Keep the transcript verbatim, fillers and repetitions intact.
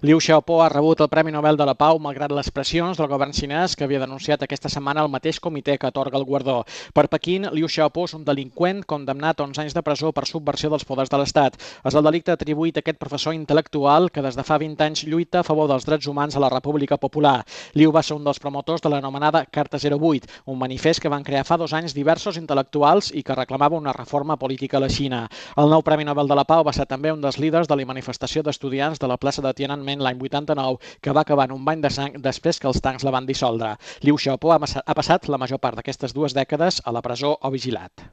Liu Xiaobo ha rebut el Premi Nobel de la Pau malgrat les pressions del govern xinès que havia denunciat aquesta setmana el mateix comitè que atorga el guardó. Per Pequín, Liu Xiaobo és un delinqüent condemnat a onze anys de presó per subversió dels poders de l'Estat. És el delicte atribuït a aquest professor intel·lectual que des de fa vint anys lluita a favor dels drets humans a la República Popular. Liu va ser un dels promotors de l'anomenada Carta zero vuit, un manifest que van crear fa dos anys diversos intel·lectuals i que reclamava una reforma política a la Xina. El nou Premi Nobel de la Pau va ser també un dels líders de la manifestació d'estudiants de la plaça de Tiananmen l'any vuitanta-nou, que va acabar en un bany de sang després que els tancs la van dissoldre. Liu Xiaobo ha passat la major part d'aquestes dues dècades a la presó o vigilat.